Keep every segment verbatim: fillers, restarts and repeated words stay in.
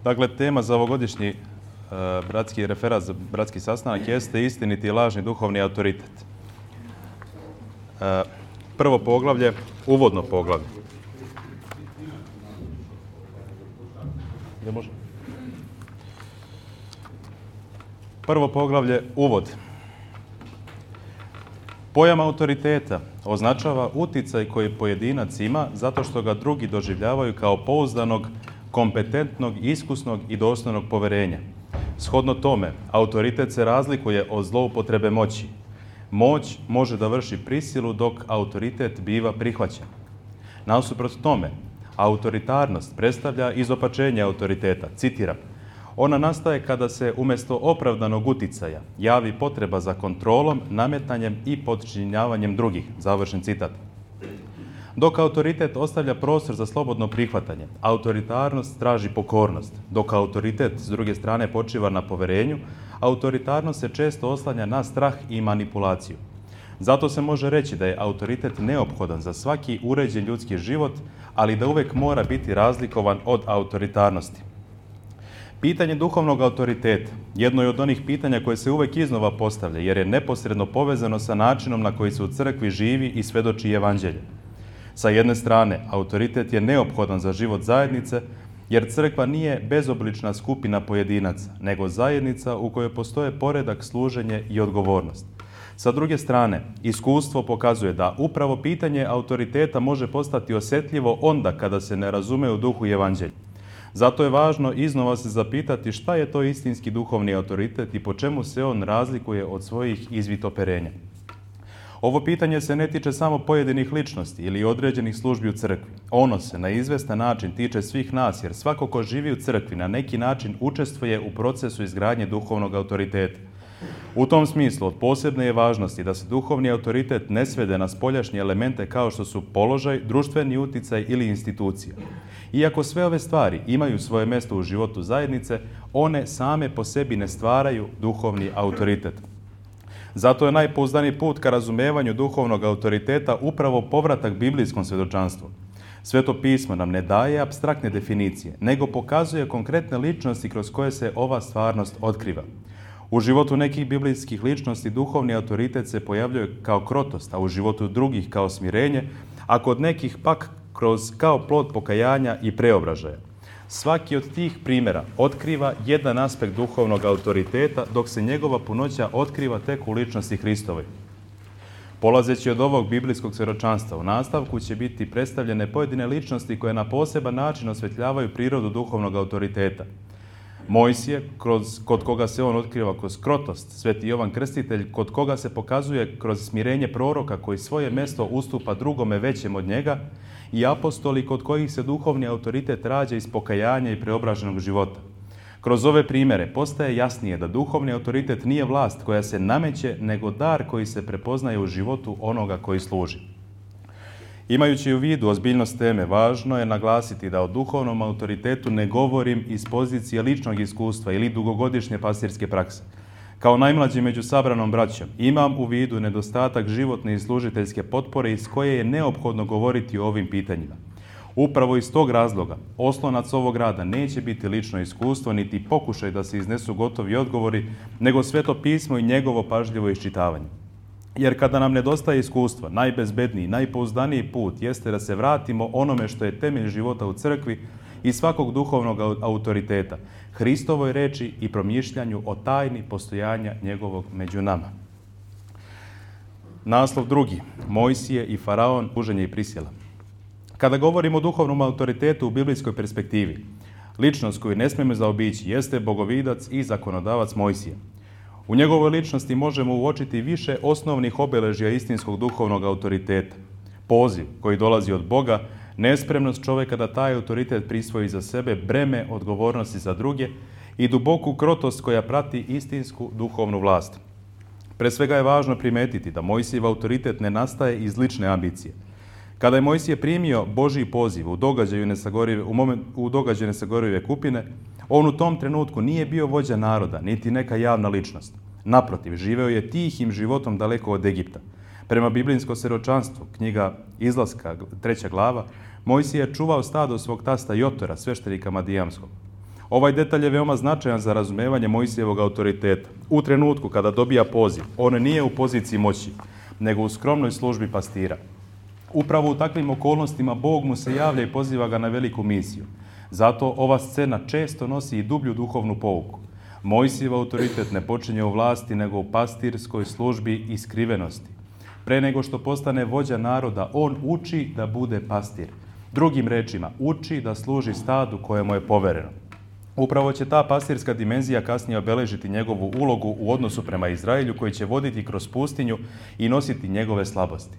Dakle, tema za ovogodišnji e, bratski referat za bratski sastanak jeste istiniti i lažni duhovni autoritet. E, prvo poglavlje, uvodno poglavlje. Gdje može? Prvo poglavlje, uvod. Pojam autoriteta označava uticaj koji pojedinac ima zato što ga drugi doživljavaju kao pouzdanog, kompetentnog, iskusnog i dostojnog poverenja. Shodno tome, autoritet se razlikuje od zloupotrebe moći. Moć može da vrši prisilu dok autoritet biva prihvaćen. Nasuprot tome, autoritarnost predstavlja izopačenje autoriteta. Citiram, ona nastaje kada se umjesto opravdanog uticaja javi potreba za kontrolom, nametanjem i podčinjavanjem drugih. Završen citat. Dok autoritet ostavlja prostor za slobodno prihvatanje, autoritarnost traži pokornost. Dok autoritet s druge strane počiva na poverenju, autoritarnost se često oslanja na strah i manipulaciju. Zato se može reći da je autoritet neophodan za svaki uređen ljudski život, ali da uvijek mora biti razlikovan od autoritarnosti. Pitanje duhovnog autoriteta jedno je od onih pitanja koje se uvijek iznova postavlja, jer je neposredno povezano sa načinom na koji se u crkvi živi i svedoči evanđelje. Sa jedne strane, autoritet je neophodan za život zajednice, jer crkva nije bezoblična skupina pojedinaca, nego zajednica u kojoj postoje poredak, služenje i odgovornost. Sa druge strane, iskustvo pokazuje da upravo pitanje autoriteta može postati osjetljivo onda kada se ne razume u duhu evanđelja. Zato je važno iznova se zapitati šta je to istinski duhovni autoritet i po čemu se on razlikuje od svojih izvitoperenja. Ovo pitanje se ne tiče samo pojedinih ličnosti ili određenih službi u crkvi. Ono se na izvestan način tiče svih nas, jer svako ko živi u crkvi na neki način učestvuje u procesu izgradnje duhovnog autoriteta. U tom smislu od posebne je važnosti da se duhovni autoritet ne svede na spoljašnje elemente kao što su položaj, društveni uticaj ili institucija. Iako sve ove stvari imaju svoje mjesto u životu zajednice, one same po sebi ne stvaraju duhovni autoritet. Zato je najpouzdaniji put ka razumevanju duhovnog autoriteta upravo povratak biblijskom svjedočanstvu. Sveto pismo nam ne daje apstraktne definicije, nego pokazuje konkretne ličnosti kroz koje se ova stvarnost otkriva. U životu nekih biblijskih ličnosti duhovni autoritet se pojavljuje kao krotost, a u životu drugih kao smirenje, a kod nekih pak kroz kao plod pokajanja i preobražaja. Svaki od tih primjera otkriva jedan aspekt duhovnog autoriteta, dok se njegova punoća otkriva tek u ličnosti Hristovoj. Polazeći od ovog biblijskog svjedočanstva, u nastavku će biti predstavljene pojedine ličnosti koje na poseban način osvetljavaju prirodu duhovnog autoriteta. Mojsije, kroz, kod koga se on otkriva kroz krotost, Sveti Jovan Krstitelj, kod koga se pokazuje kroz smirenje proroka koji svoje mjesto ustupa drugome većem od njega, i apostoli kod kojih se duhovni autoritet rađa iz pokajanja i preobraženog života. Kroz ove primjere postaje jasnije da duhovni autoritet nije vlast koja se nameće, nego dar koji se prepoznaje u životu onoga koji služi. Imajući u vidu ozbiljnost teme, važno je naglasiti da o duhovnom autoritetu ne govorim iz pozicije ličnog iskustva ili dugogodišnje pastirske prakse. Kao najmlađi među sabranom braćom, imam u vidu nedostatak životne i služiteljske potpore iz koje je neophodno govoriti o ovim pitanjima. Upravo iz tog razloga, oslonac ovog rada neće biti lično iskustvo, niti pokušaj da se iznesu gotovi odgovori, nego Sveto pismo i njegovo pažljivo iščitavanje. Jer kada nam nedostaje iskustva, najbezbedniji, najpouzdaniji put jeste da se vratimo onome što je temelj života u crkvi i svakog duhovnog autoriteta, Hristovoj reči i promišljanju o tajni postojanja njegovog među nama. Naslov drugi, Mojsije i Faraon, služenje i prisila. Kada govorimo o duhovnom autoritetu u biblijskoj perspektivi, ličnost koju ne smijemo zaobići jeste bogovidac i zakonodavac Mojsije. U njegovoj ličnosti možemo uočiti više osnovnih obeležja istinskog duhovnog autoriteta. Poziv koji dolazi od Boga, nespremnost čovjeka da taj autoritet prisvoji za sebe, breme odgovornosti za druge i duboku krotost koja prati istinsku duhovnu vlast. Pre svega je važno primetiti da Mojsijev autoritet ne nastaje iz lične ambicije. Kada je Mojsije primio Božji poziv u događaju nesagorive, u, moment, u događaju nesagorive kupine, on u tom trenutku nije bio vođa naroda, niti neka javna ličnost. Naprotiv, živeo je tihim životom daleko od Egipta. Prema biblijskom svjedočanstvu, knjiga Izlaska, treća glava, Mojsije je čuvao stado svog tasta Jotora, sveštenika Madijamskog. Ovaj detalj je veoma značajan za razumevanje Mojsijevog autoriteta. U trenutku kada dobija poziv, on nije u poziciji moći, nego u skromnoj službi pastira. Upravo u takvim okolnostima Bog mu se javlja i poziva ga na veliku misiju. Zato ova scena često nosi i dublju duhovnu pouku. Mojsijev autoritet ne počinje u vlasti, nego u pastirskoj službi i skrivenosti. Pre nego što postane vođa naroda, on uči da bude pastir. Drugim rečima, uči da služi stadu koje mu je povereno. Upravo će ta pastirska dimenzija kasnije obeležiti njegovu ulogu u odnosu prema Izraelju, koji će voditi kroz pustinju i nositi njegove slabosti.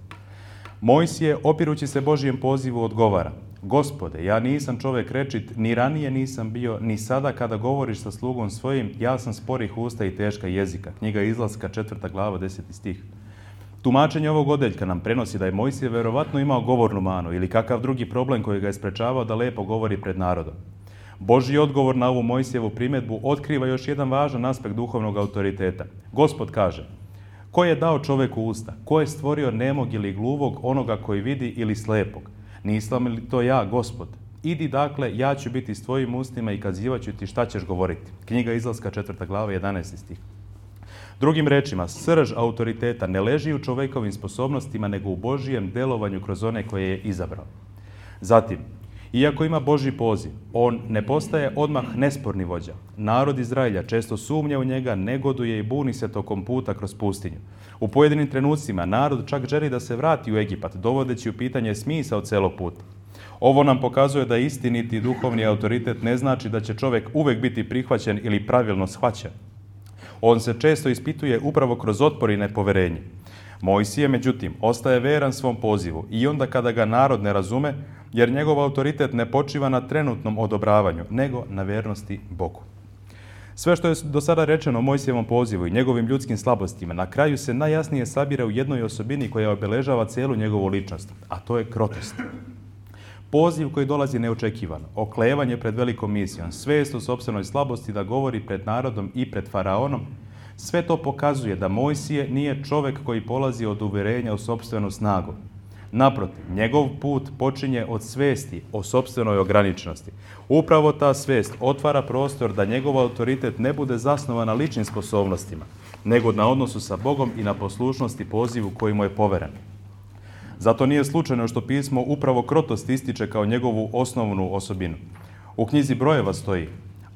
Mojsije, opirući se Božijem pozivu, odgovara: Gospode, ja nisam čovek rečit, ni ranije nisam bio, ni sada kada govoriš sa slugom svojim, ja sam sporih usta i teška jezika. Knjiga Izlaska, četvrta glava, deseti stih. Tumačenje ovog odeljka nam prenosi da je Mojsije verovatno imao govornu manu ili kakav drugi problem koji ga je sprečavao da lepo govori pred narodom. Božji odgovor na ovu Mojsijevu primjedbu otkriva još jedan važan aspekt duhovnog autoriteta. Gospod kaže: Ko je dao čoveku usta? Ko je stvorio nemog ili gluvog, onoga koji vidi ili slepog? Nisam li to ja, Gospod? Idi dakle, ja ću biti s tvojim ustima i kazivat ću ti šta ćeš govoriti. Knjiga Izlaska, četvrta glava, jedanaesti stih. Drugim rečima, srž autoriteta ne leži u čovekovim sposobnostima, nego u Božijem delovanju kroz one koje je izabrao. Zatim, iako ima Božji poziv, on ne postaje odmah nesporni vođa. Narod Izraelja često sumnja u njega, negoduje i buni se tokom puta kroz pustinju. U pojedinim trenucima narod čak želi da se vrati u Egipat, dovodeći u pitanje smisao celog puta. Ovo nam pokazuje da istiniti duhovni autoritet ne znači da će čovek uvek biti prihvaćen ili pravilno shvaćen. On se često ispituje upravo kroz otpor i nepoverenje. Mojsije, međutim, ostaje veran svom pozivu i onda kada ga narod ne razume, jer njegov autoritet ne počiva na trenutnom odobravanju, nego na vernosti Bogu. Sve što je do sada rečeno o Mojsijevom pozivu i njegovim ljudskim slabostima, na kraju se najjasnije sabira u jednoj osobini koja obeležava celu njegovu ličnost, a to je krotost. Poziv koji dolazi neočekivano, oklevanje pred velikom misijom, svest o sopstvenoj slabosti da govori pred narodom i pred faraonom, sve to pokazuje da Mojsije nije čovek koji polazi od uverenja u sopstvenu snagu. Naprotiv, njegov put počinje od svesti o sopstvenoj ograničenosti. Upravo ta svest otvara prostor da njegov autoritet ne bude zasnovan na ličnim sposobnostima, nego na odnosu sa Bogom i na poslušnosti pozivu koji mu je poveren. Zato nije slučajno što pismo upravo krotost ističe kao njegovu osnovnu osobinu. U knjizi Brojeva stoji: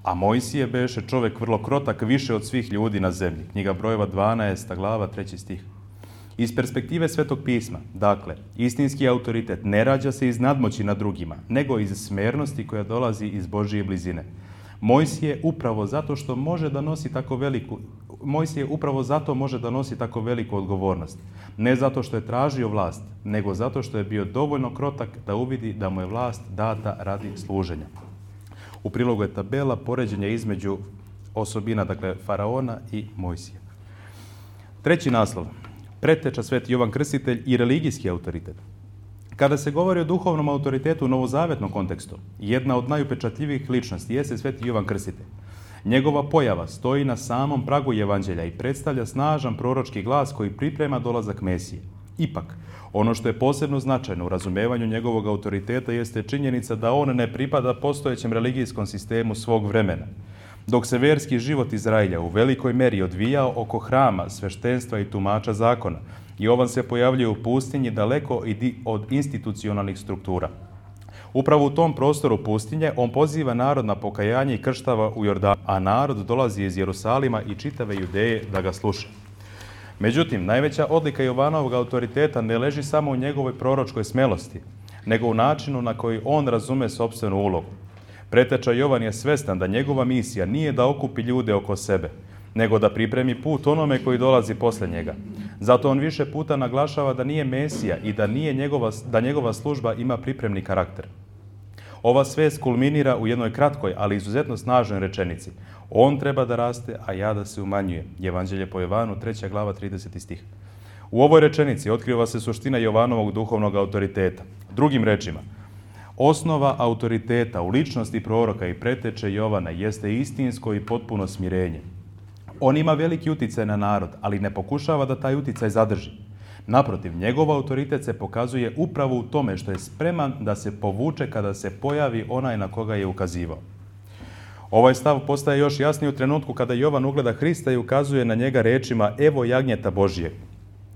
A Mojsije beše čovek vrlo krotak, više od svih ljudi na zemlji. Knjiga Brojeva, dvanaesta glava, treći stih. Iz perspektive Svetog pisma, dakle, istinski autoritet ne rađa se iz nadmoći nad drugima, nego iz smernosti koja dolazi iz Božije blizine. Mojsije upravo zato što može da nosi tako veliku Mojsije upravo zato može da nosi tako veliku odgovornost. Ne zato što je tražio vlast, nego zato što je bio dovoljno krotak da uvidi da mu je vlast data radi služenja. U prilogu je tabela poređenja između osobina, dakle, faraona i Mojsija. Treći naslov: Preteča Sveti Jovan Krstitelj i religijski autoritet. Kada se govori o duhovnom autoritetu u novozavetnom kontekstu, jedna od najupečatljivijih ličnosti jeste Sveti Jovan Krstitelj. Njegova pojava stoji na samom pragu Evanđelja i predstavlja snažan proročki glas koji priprema dolazak Mesije. Ipak, ono što je posebno značajno u razumevanju njegovog autoriteta jeste činjenica da on ne pripada postojećem religijskom sistemu svog vremena. Dok se verski život Izraelja u velikoj meri odvijao oko hrama, sveštenstva i tumača zakona, Jovan se pojavljuje u pustinji daleko od institucionalnih struktura. Upravo u tom prostoru pustinje on poziva narod na pokajanje i krštava u Jordanu, a narod dolazi iz Jerusalima i čitave Judeje da ga sluša. Međutim, najveća odlika Jovanovog autoriteta ne leži samo u njegovoj proročkoj smelosti, nego u načinu na koji on razume sopstvenu ulogu. Preteča Jovan je svestan da njegova misija nije da okupi ljude oko sebe, nego da pripremi put onome koji dolazi posle njega. Zato on više puta naglašava da nije Mesija i da, nije njegova, da njegova služba ima pripremni karakter. Ova svest kulminira u jednoj kratkoj, ali izuzetno snažnoj rečenici: On treba da raste, a ja da se umanjujem. Evanđelje po Jovanu, treća glava, trideseti stih. U ovoj rečenici otkriva se suština Jovanovog duhovnog autoriteta. Drugim rečima, osnova autoriteta u ličnosti proroka i preteče Jovana jeste istinsko i potpuno smirenje. On ima veliki uticaj na narod, ali ne pokušava da taj uticaj zadrži. Naprotiv, njegov autoritet se pokazuje upravo u tome što je spreman da se povuče kada se pojavi onaj na koga je ukazivao. Ovaj stav postaje još jasniji u trenutku kada Jovan ugleda Hrista i ukazuje na njega rečima evo jagnjeta Božijeg.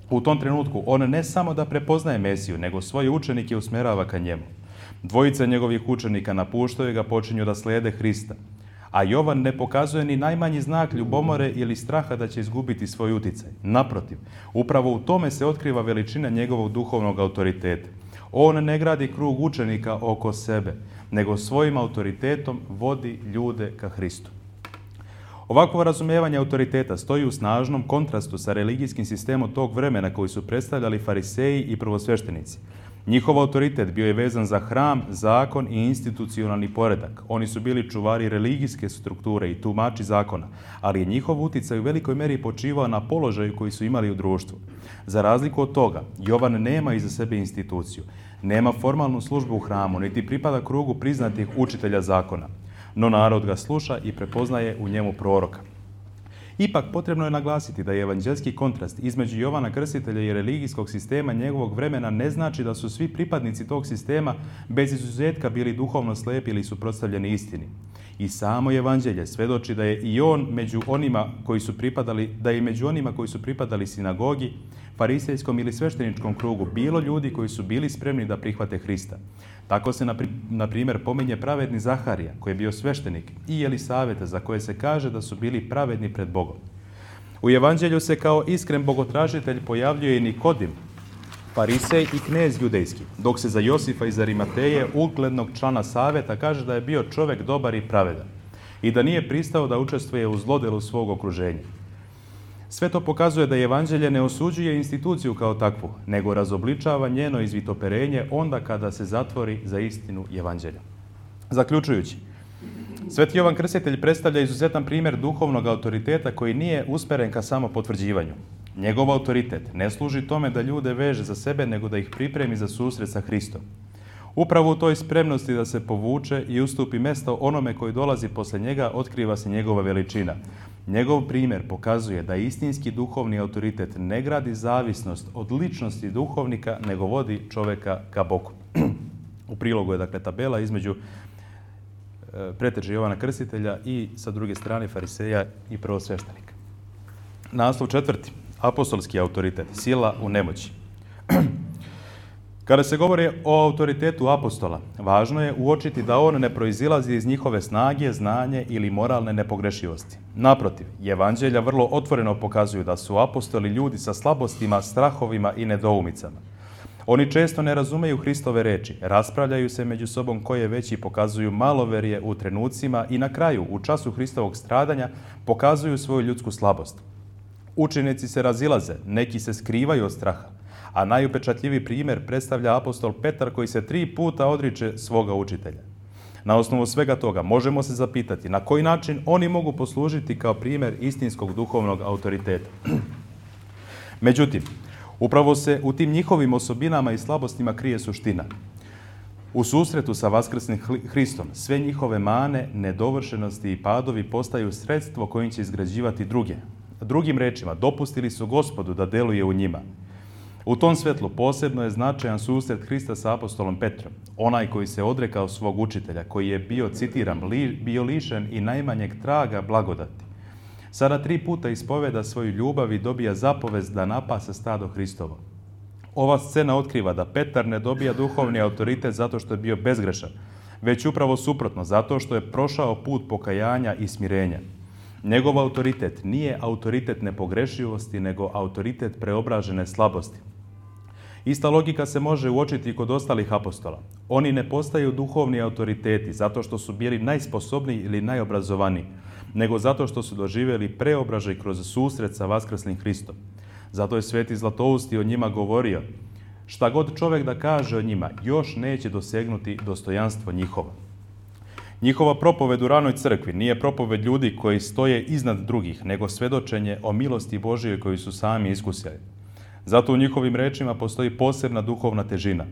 U tom trenutku on ne samo da prepoznaje Mesiju, nego svoje učenike usmjerava ka njemu. Dvojica njegovih učenika napuštaju ga, počinju da slijede Hrista. A Jovan ne pokazuje ni najmanji znak ljubomore ili straha da će izgubiti svoj uticaj. Naprotiv, upravo u tome se otkriva veličina njegovog duhovnog autoriteta. On ne gradi krug učenika oko sebe, nego svojim autoritetom vodi ljude ka Hristu. Ovakvo razumijevanje autoriteta stoji u snažnom kontrastu sa religijskim sistemom tog vremena koji su predstavljali fariseji i prvosveštenici. Njihov autoritet bio je vezan za hram, zakon i institucionalni poredak. Oni su bili čuvari religijske strukture i tumači zakona, ali je njihov uticaj u velikoj meri počivao na položaju koji su imali u društvu. Za razliku od toga, Jovan nema iza sebe instituciju, nema formalnu službu u hramu, niti pripada krugu priznatih učitelja zakona. No narod ga sluša i prepoznaje u njemu proroka. Ipak potrebno je naglasiti da je evanđelski kontrast između Jovana Krstitelja i religijskog sistema njegovog vremena ne znači da su svi pripadnici tog sistema bez izuzetka bili duhovno slepi ili suprotstavljeni istini. I samo evanđelje svedoči da je i on među onima koji su pripadali, da je među onima koji su pripadali sinagogi, farisejskom ili svešteničkom krugu bilo ljudi koji su bili spremni da prihvate Hrista. Tako se, na primjer, pominje pravedni Zaharija, koji je bio sveštenik, i Jelisaveta, za koje se kaže da su bili pravedni pred Bogom. U evanđelju se kao iskren bogotražitelj pojavljuje i Nikodim, farisej i knez judejski, dok se za Josifa iz Arimateje, uglednog člana saveta, kaže da je bio čovjek dobar i pravedan i da nije pristao da učestvuje u zlodelu svog okruženja. Sve to pokazuje da evanđelje ne osuđuje instituciju kao takvu, nego razobličava njeno izvitoperenje onda kada se zatvori za istinu evanđelja. Zaključujući, Sveti Jovan Krstitelj predstavlja izuzetan primjer duhovnog autoriteta koji nije usmeren ka samo potvrđivanju. Njegov autoritet ne služi tome da ljude veže za sebe, nego da ih pripremi za susret sa Hristom. Upravo u toj spremnosti da se povuče i ustupi mjesto onome koji dolazi posle njega, otkriva se njegova veličina. Njegov primjer pokazuje da istinski duhovni autoritet ne gradi zavisnost od ličnosti duhovnika, nego vodi čovjeka ka Bogu. U prilogu je dakle tabela između e, preteže Jovana Krstitelja i sa druge strane fariseja i prvosveštenika. Naslov četvrti. Apostolski autoritet. Sila u nemoći. Kada se govori o autoritetu apostola, važno je uočiti da on ne proizilazi iz njihove snage, znanje ili moralne nepogrešivosti. Naprotiv, evanđelja vrlo otvoreno pokazuju da su apostoli ljudi sa slabostima, strahovima i nedoumicama. Oni često ne razumeju Hristove reči, raspravljaju se među sobom koje veći pokazuju maloverje u trenucima i na kraju, u času Hristovog stradanja, pokazuju svoju ljudsku slabost. Učenici se razilaze, neki se skrivaju od straha, a najupečatljiviji primjer predstavlja apostol Petar koji se tri puta odriče svoga učitelja. Na osnovu svega toga možemo se zapitati na koji način oni mogu poslužiti kao primjer istinskog duhovnog autoriteta. Međutim, upravo se u tim njihovim osobinama i slabostima krije suština. U susretu sa vaskrsnim Hristom sve njihove mane, nedovršenosti i padovi postaju sredstvo kojim će izgrađivati druge. Drugim rečima, dopustili su Gospodu da deluje u njima. U tom svetlu posebno je značajan susret Hrista sa apostolom Petrom, onaj koji se odrekao svog učitelja, koji je bio, citiram, li, bio lišen i najmanjeg traga blagodati. Sada tri puta ispoveda svoju ljubav i dobija zapovest da napase stado Hristovo. Ova scena otkriva da Petar ne dobija duhovni autoritet zato što je bio bezgrešan, već upravo suprotno, zato što je prošao put pokajanja i smirenja. Njegov autoritet nije autoritet nepogrešivosti, nego autoritet preobražene slabosti. Ista logika se može uočiti i kod ostalih apostola. Oni ne postaju duhovni autoriteti zato što su bili najsposobniji ili najobrazovaniji, nego zato što su doživjeli preobražaj kroz susret sa vaskrslim Hristom. Zato je Sveti Zlatousti o njima govorio: šta god čovjek da kaže o njima, još neće dosegnuti dostojanstvo njihovo. Njihova propoved u ranoj crkvi nije propoved ljudi koji stoje iznad drugih, nego svedočenje o milosti Božijoj koju su sami iskusili. Zato u njihovim rečima postoji posebna duhovna težina.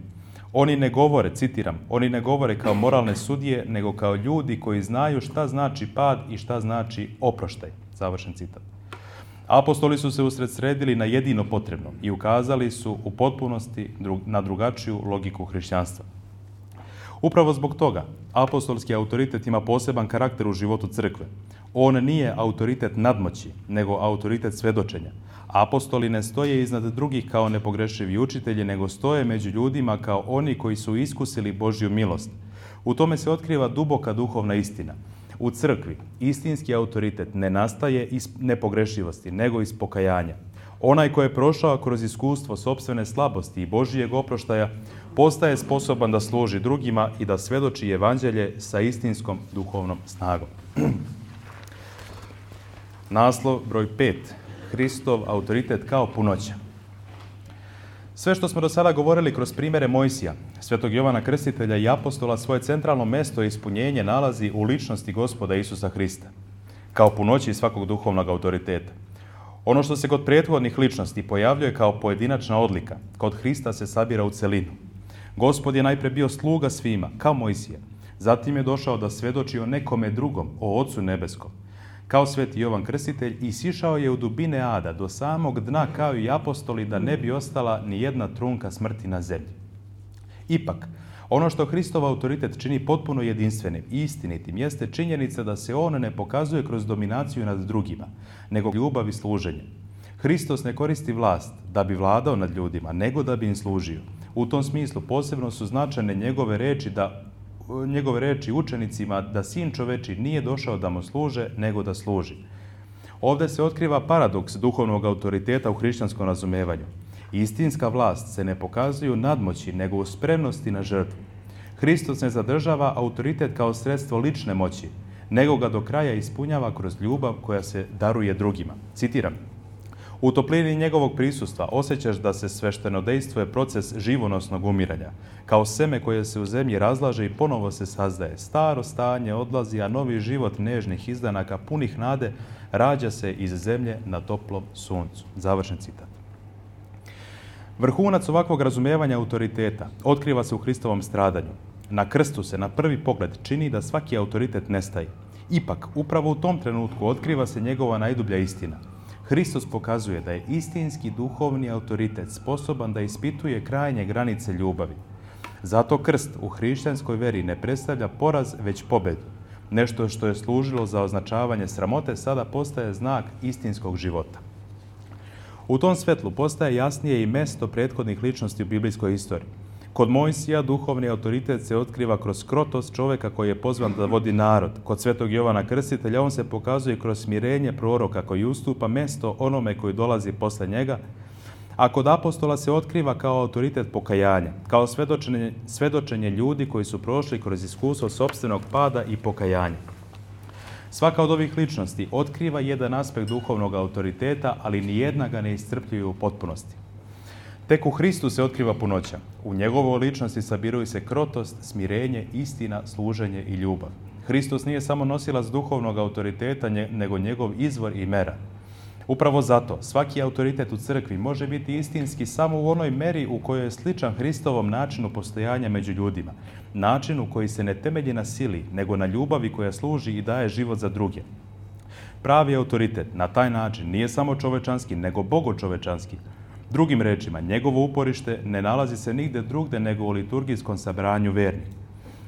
Oni ne govore, citiram, oni ne govore kao moralne sudije, nego kao ljudi koji znaju šta znači pad i šta znači oproštaj. Završen citat. Apostoli su se usredsredili na jedino potrebno i ukazali su u potpunosti na drugačiju logiku hrišćanstva. Upravo zbog toga apostolski autoritet ima poseban karakter u životu crkve. On nije autoritet nadmoći, nego autoritet svedočenja. Apostoli ne stoje iznad drugih kao nepogrešivi učitelji, nego stoje među ljudima kao oni koji su iskusili Božju milost. U tome se otkriva duboka duhovna istina. U crkvi istinski autoritet ne nastaje iz nepogrešivosti, nego iz pokajanja. Onaj ko je prošao kroz iskustvo sopstvene slabosti i Božijeg oproštaja, postaje sposoban da služi drugima i da svedoči evanđelje sa istinskom duhovnom snagom. Naslov broj pet. Hristov autoritet kao punoća. Sve što smo do sada govorili kroz primjere Mojsija, Svetog Jovana Krstitelja i apostola, svoje centralno mesto i ispunjenje nalazi u ličnosti Gospoda Isusa Hrista, kao punoći svakog duhovnog autoriteta. Ono što se kod prethodnih ličnosti pojavljuje kao pojedinačna odlika, kod Hrista se sabira u celinu. Gospod je najpre bio sluga svima, kao Mojsije. Zatim je došao da svedoči o nekome drugom, o Ocu nebeskom. Kao Sveti Jovan Krstitelj isišao je u dubine ada, do samog dna kao i apostoli, da ne bi ostala ni jedna trunka smrti na zemlji. Ipak, ono što Hristov autoritet čini potpuno jedinstvenim i istinitim jeste činjenica da se on ne pokazuje kroz dominaciju nad drugima, nego ljubav i služenje. Hristos ne koristi vlast da bi vladao nad ljudima, nego da bi im služio. U tom smislu posebno su značajne njegove reči da njegove reči učenicima da sin čoveči nije došao da mu služe, nego da služi. Ovdje se otkriva paradoks duhovnog autoriteta u hrišćanskom razumevanju. Istinska vlast se ne pokazuje u nadmoći, nego u spremnosti na žrtvu. Hristos ne zadržava autoritet kao sredstvo lične moći, nego ga do kraja ispunjava kroz ljubav koja se daruje drugima. Citiram: u toplini njegovog prisustva osjećaš da se sveštenodejstvo je proces živonosnog umiranja. Kao seme koje se u zemlji razlaže i ponovo se sazdaje. Staro stanje odlazi, a novi život nežnih izdanaka, punih nade, rađa se iz zemlje na toplom suncu. Završen citat. Vrhunac ovakvog razumijevanja autoriteta otkriva se u Hristovom stradanju. Na krstu se na prvi pogled čini da svaki autoritet nestaje. Ipak, upravo u tom trenutku otkriva se njegova najdublja istina. Hristos pokazuje da je istinski duhovni autoritet sposoban da ispituje krajnje granice ljubavi. Zato krst u hrišćanskoj veri ne predstavlja poraz, već pobedu. Nešto što je služilo za označavanje sramote sada postaje znak istinskog života. U tom svetlu postaje jasnije i mesto prethodnih ličnosti u biblijskoj istoriji. Kod Mojsija duhovni autoritet se otkriva kroz krotost čovjeka koji je pozvan da vodi narod. Kod Svetog Jovana Krstitelja on se pokazuje kroz smirenje proroka koji ustupa mesto onome koji dolazi posle njega, a kod apostola se otkriva kao autoritet pokajanja, kao svedočenje, svedočenje ljudi koji su prošli kroz iskustvo sopstvenog pada i pokajanja. Svaka od ovih ličnosti otkriva jedan aspekt duhovnog autoriteta, ali nijedna ga ne iscrpljuje u potpunosti. Tek u Hristu se otkriva punoća. U njegovoj ličnosti sabiruju se krotost, smirenje, istina, služenje i ljubav. Hristos nije samo nosilac duhovnog autoriteta, nego njegov izvor i mera. Upravo zato svaki autoritet u crkvi može biti istinski samo u onoj meri u kojoj je sličan Hristovom načinu postojanja među ljudima, načinu koji se ne temelji na sili, nego na ljubavi koja služi i daje život za druge. Pravi autoritet na taj način nije samo čovečanski, nego bogočovečanski. Drugim rečima, njegovo uporište ne nalazi se nigde drugde nego u liturgijskom sabranju vernih.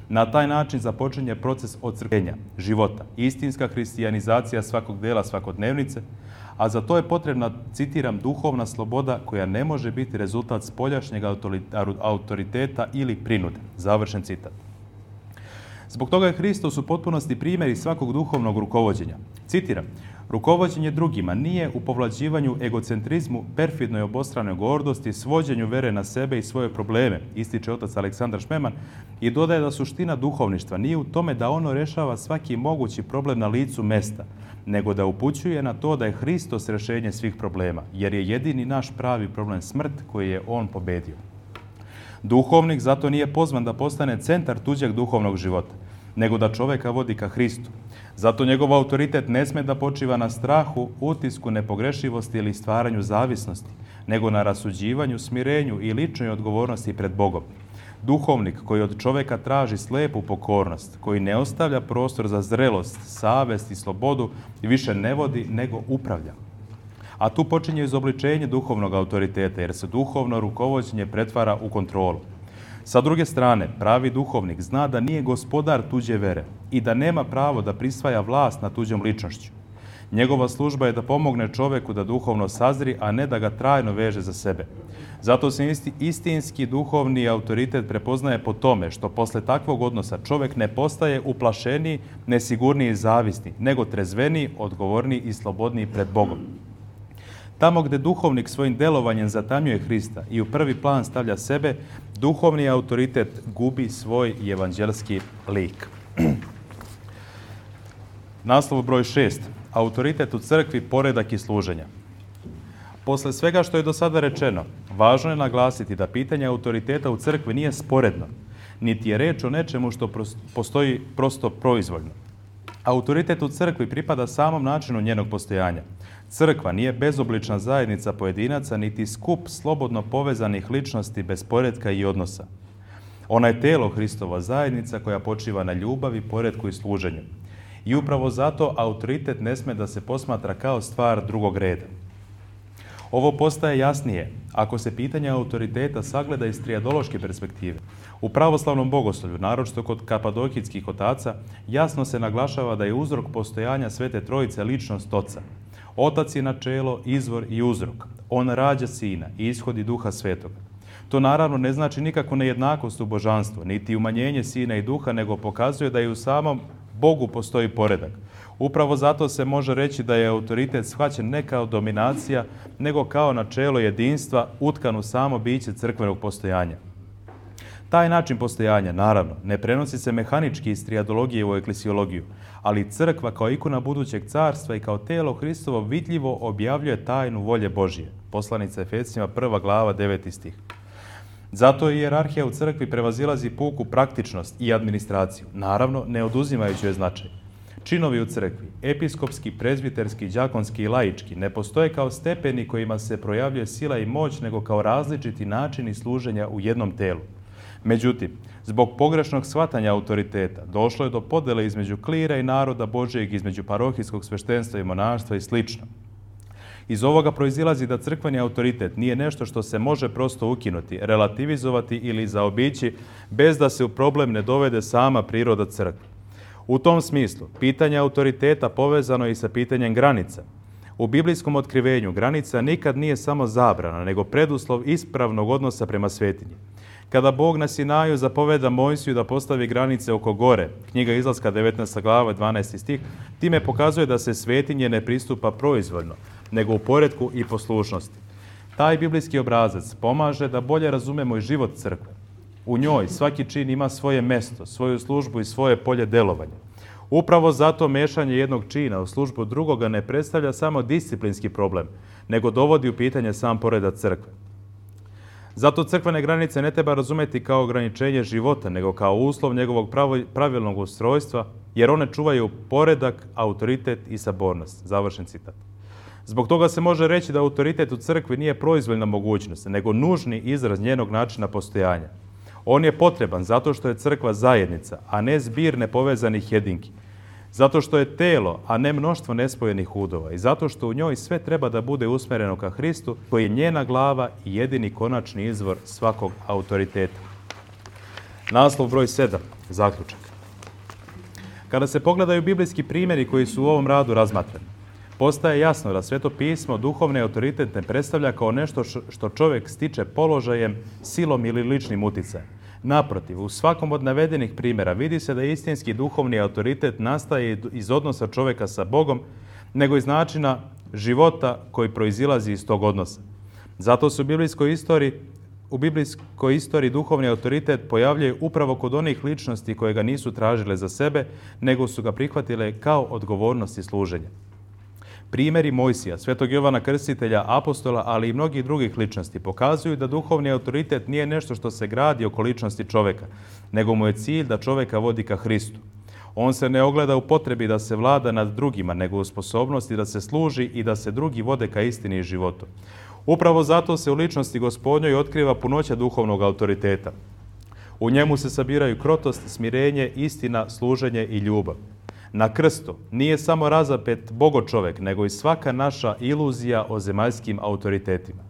Na taj način započinje proces ocrkvenja, života, istinska hристиянизација svakog dela svakodnevnice, a za to je potrebna, citiram, duhovna sloboda koja ne može biti rezultat spoljašnjeg autoriteta ili prinude. Završen citat. Zbog toga je Hristos u potpunosti primjer svakog duhovnog rukovođenja. Citiram: rukovođenje drugima nije u povlađivanju egocentrizmu, perfidnoj obostranoj gordosti, svođenju vere na sebe i svoje probleme, ističe otac Aleksandar Šmeman i dodaje da suština duhovništva nije u tome da ono rešava svaki mogući problem na licu mesta, nego da upućuje na to da je Hristos rešenje svih problema, jer je jedini naš pravi problem smrt koji je on pobedio. Duhovnik zato nije pozvan da postane centar tuđeg duhovnog života, nego da čoveka vodi ka Hristu. Zato njegov autoritet ne sme da počiva na strahu, utisku, nepogrešivosti ili stvaranju zavisnosti, nego na rasuđivanju, smirenju i ličnoj odgovornosti pred Bogom. Duhovnik koji od čoveka traži slepu pokornost, koji ne ostavlja prostor za zrelost, savest i slobodu, više ne vodi nego upravlja. A tu počinje izobličenje duhovnog autoriteta, jer se duhovno rukovođenje pretvara u kontrolu. Sa druge strane, pravi duhovnik zna da nije gospodar tuđe vere i da nema pravo da prisvaja vlast nad tuđom ličnošću. Njegova služba je da pomogne čoveku da duhovno sazri, a ne da ga trajno veže za sebe. Zato se isti, istinski duhovni autoritet prepoznaje po tome što posle takvog odnosa čovek ne postaje uplašeniji, nesigurniji i zavisni, nego trezveniji, odgovorniji i slobodniji pred Bogom. Tamo gde duhovnik svojim delovanjem zatamnjuje Hrista i u prvi plan stavlja sebe, duhovni autoritet gubi svoj evanđelski lik. Naslov broj šest. Autoritet u crkvi, poredak i služenja. Posle svega što je do sada rečeno, važno je naglasiti da pitanje autoriteta u crkvi nije sporedno, niti je reč o nečemu što postoji prosto proizvoljno. Autoritet u crkvi pripada samom načinu njenog postojanja. Crkva nije bezoblična zajednica pojedinaca, niti skup slobodno povezanih ličnosti bez poretka i odnosa. Ona je telo Hristova zajednica koja počiva na ljubavi, poretku i služenju. I upravo zato autoritet ne sme da se posmatra kao stvar drugog reda. Ovo postaje jasnije ako se pitanje autoriteta sagleda iz trijadološke perspektive. U pravoslavnom bogoslovlju, naročito kod kapadokijskih otaca, jasno se naglašava da je uzrok postojanja Svete Trojice ličnost Oca. Otac je načelo, izvor i uzrok. On rađa Sina i ishodi Duha Svetoga. To naravno ne znači nikakvu nejednakost u božanstvu, niti umanjenje Sina i Duha, nego pokazuje da i u samom Bogu postoji poredak. Upravo zato se može reći da je autoritet shvaćen ne kao dominacija, nego kao načelo jedinstva utkan u samo biće crkvenog postojanja. Taj način postojanja, naravno, ne prenosi se mehanički iz trijadologije u eklesiologiju, ali crkva kao ikona budućeg carstva i kao telo Hristovo vidljivo objavljuje tajnu volje Božije. Poslanica Efescima prva glava deveti stih. Zato i hijerarhija u crkvi prevazilazi puku praktičnost i administraciju, naravno ne oduzimajući joj značaj. Činovi u crkvi, episkopski, prezbiterski, đakonski i laički, ne postoje kao stepeni kojima se projavljuje sila i moć, nego kao različiti načini služenja u jednom telu. Međutim, zbog pogrešnog shvatanja autoriteta došlo je do podele između klira i naroda Božijeg, između parohijskog sveštenstva i monaštva i slično. Iz ovoga proizilazi da crkveni autoritet nije nešto što se može prosto ukinuti, relativizovati ili zaobići bez da se u problem ne dovede sama priroda crkve. U tom smislu, pitanje autoriteta povezano je i sa pitanjem granica. U biblijskom otkrivenju granica nikad nije samo zabrana, nego preduslov ispravnog odnosa prema svetinji. Kada Bog na Sinaju zapoveda Mojsiju da postavi granice oko gore, knjiga Izlaska devetnaesta glava dvanaesti stih, time pokazuje da se svetinje ne pristupa proizvoljno, nego u poretku i poslušnosti. Taj biblijski obrazac pomaže da bolje razumemo i život crkve. U njoj svaki čin ima svoje mesto, svoju službu i svoje polje delovanja. Upravo zato mešanje jednog čina u službu drugoga ne predstavlja samo disciplinski problem, nego dovodi u pitanje sam poredak crkve. Zato crkvene granice ne treba razumeti kao ograničenje života, nego kao uslov njegovog pravilnog ustrojstva, jer one čuvaju poredak, autoritet i sabornost. Završen citat. Zbog toga se može reći da autoritet u crkvi nije proizvoljna mogućnost, nego nužni izraz njenog načina postojanja. On je potreban zato što je crkva zajednica, a ne zbir nepovezanih jedinki. Zato što je telo, a ne mnoštvo nespojenih udova. I zato što u njoj sve treba da bude usmereno ka Hristu, koji je njena glava i jedini konačni izvor svakog autoriteta. Naslov broj sedam. Zaključak. Kada se pogledaju biblijski primjeri koji su u ovom radu razmatrani, postaje jasno da Sveto pismo duhovni autoritet ne predstavlja kao nešto što čovjek stiče položajem, silom ili ličnim uticajem. Naprotiv, u svakom od navedenih primjera vidi se da istinski duhovni autoritet nastaje iz odnosa čovjeka sa Bogom, nego iz načina života koji proizilazi iz tog odnosa. Zato se u biblijskoj istoriji, u biblijskoj istoriji duhovni autoritet pojavljuje upravo kod onih ličnosti koje ga nisu tražile za sebe, nego su ga prihvatile kao odgovornost i služenje. Primjeri Mojsija, Svetog Jovana Krstitelja, apostola, ali i mnogih drugih ličnosti pokazuju da duhovni autoritet nije nešto što se gradi oko ličnosti čoveka, nego mu je cilj da čoveka vodi ka Hristu. On se ne ogleda u potrebi da se vlada nad drugima, nego u sposobnosti da se služi i da se drugi vode ka istini i životu. Upravo zato se u ličnosti Gospodnjoj otkriva punoća duhovnog autoriteta. U njemu se sabiraju krotost, smirenje, istina, služenje i ljubav. Na krstu nije samo razapet bogo čovek, nego i svaka naša iluzija o zemaljskim autoritetima.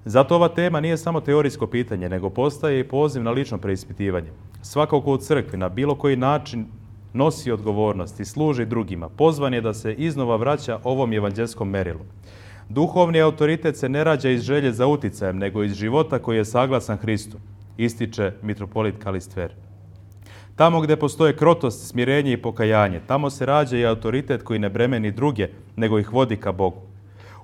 Zato ova tema nije samo teorijsko pitanje, nego postaje i poziv na lično preispitivanje. Svako ko u crkvi na bilo koji način nosi odgovornost i služi drugima, pozvan je da se iznova vraća ovom evanđelskom merilu. Duhovni autoritet se ne rađa iz želje za uticajem, nego iz života koji je saglasan Hristu, ističe mitropolit Kalistver. Tamo gdje postoje krotost, smirenje i pokajanje, tamo se rađa i autoritet koji ne bremeni druge, nego ih vodi ka Bogu.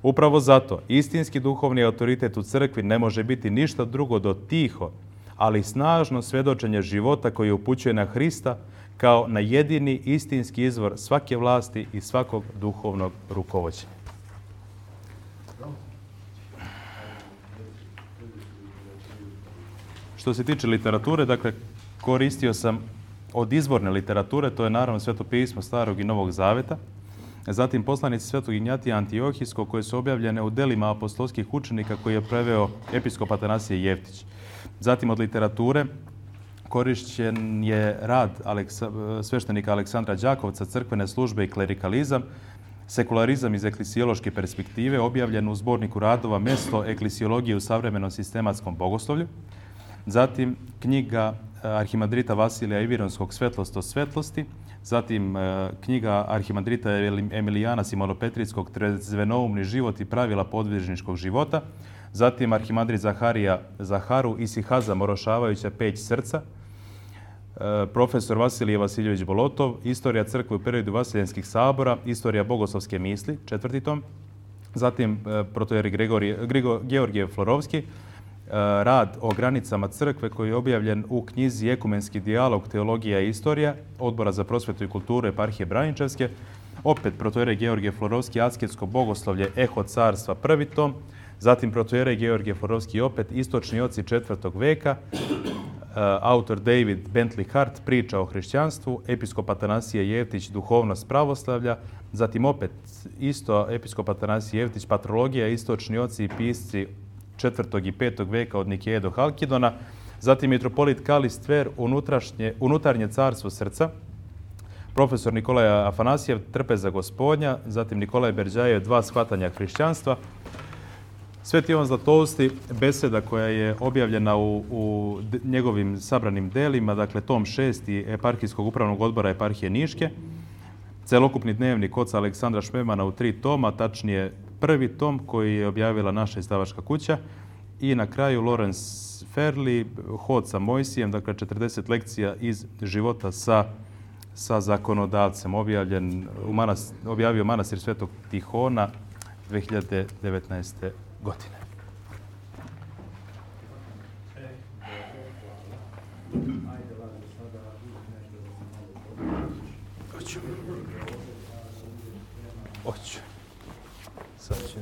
Upravo zato, istinski duhovni autoritet u crkvi ne može biti ništa drugo do tiho, ali snažno svjedočenje života koji upućuje na Hrista kao na jedini istinski izvor svake vlasti i svakog duhovnog rukovođenja. Što se tiče literature, dakle, koristio sam od izvorne literature, to je naravno Sveto pismo Starog i Novog Zaveta, zatim poslanici Svetog Ignjatija Antiohijskog koje su objavljene u delima apostolskih učenika koji je preveo episkop Atanasije Jeftić. Zatim od literature korišćen je rad Aleksa, sveštenika Aleksandra Đakovca, crkvene službe i klerikalizam, sekularizam iz eklisiološke perspektive, objavljen u zborniku radova Mesto eklisiologije u savremenom sistematskom bogoslovlju. Zatim knjiga arhimandrita Vasilija Ivironskog Svetlost o svetlosti, zatim knjiga arhimandrita Emilijana Simonopetrijskog Trezvenoumni život i pravila podvižničkog života, zatim arhimandrit Zaharija Zaharu i Sihaza Morošavajuća Peć srca, profesor Vasilije Vasiljević Bolotov, Istorija crkve u periodu Vasiljenskih sabora, Istorija bogoslovske misli, četvrti tom, zatim protojeri Georgije Florovski, rad o granicama crkve koji je objavljen u knjizi Ekumenski dijalog, teologija i istorija Odbora za prosvetu i kulturu eparhije Braničevske, opet protojerej Georgije Florovski, Asketsko bogoslovlje, Eho carstva, prvi tom, zatim protojerej Georgije Florovski, opet Istočni oci četvrtog veka, autor David Bentley Hart, Priča o hrišćanstvu, episkop Atanasije Jeftić, Duhovnost pravoslavlja, zatim opet isto episkop Atanasije Jeftić, Patrologija, Istočni oci i pisci četvrtog i petog veka od Nikeje do Halkidona, zatim mitropolit Kalistver, Unutarnje carstvo srca, profesor Nikolaj Afanasijev, Trpeza gospodnja, zatim Nikolaj Berđajev, Dva shvatanja hrišćanstva, Sveti Ivan Zlatousti, beseda koja je objavljena u, u njegovim sabranim delima, dakle tom šesti eparhijskog upravnog odbora eparhije Niške, celokupni dnevnik oca Aleksandra Šmemana u tri toma, tačnije prvi tom koji je objavila naša izdavačka kuća i na kraju Lorenz Ferli, Hod sa Mojsijem, dakle četrdeset lekcija iz života sa, sa zakonodavcem, objavljen u manas, objavio manastir Svetog Tihona dve hiljade devetnaeste. godine. Hoću. Hoću. Sad ću.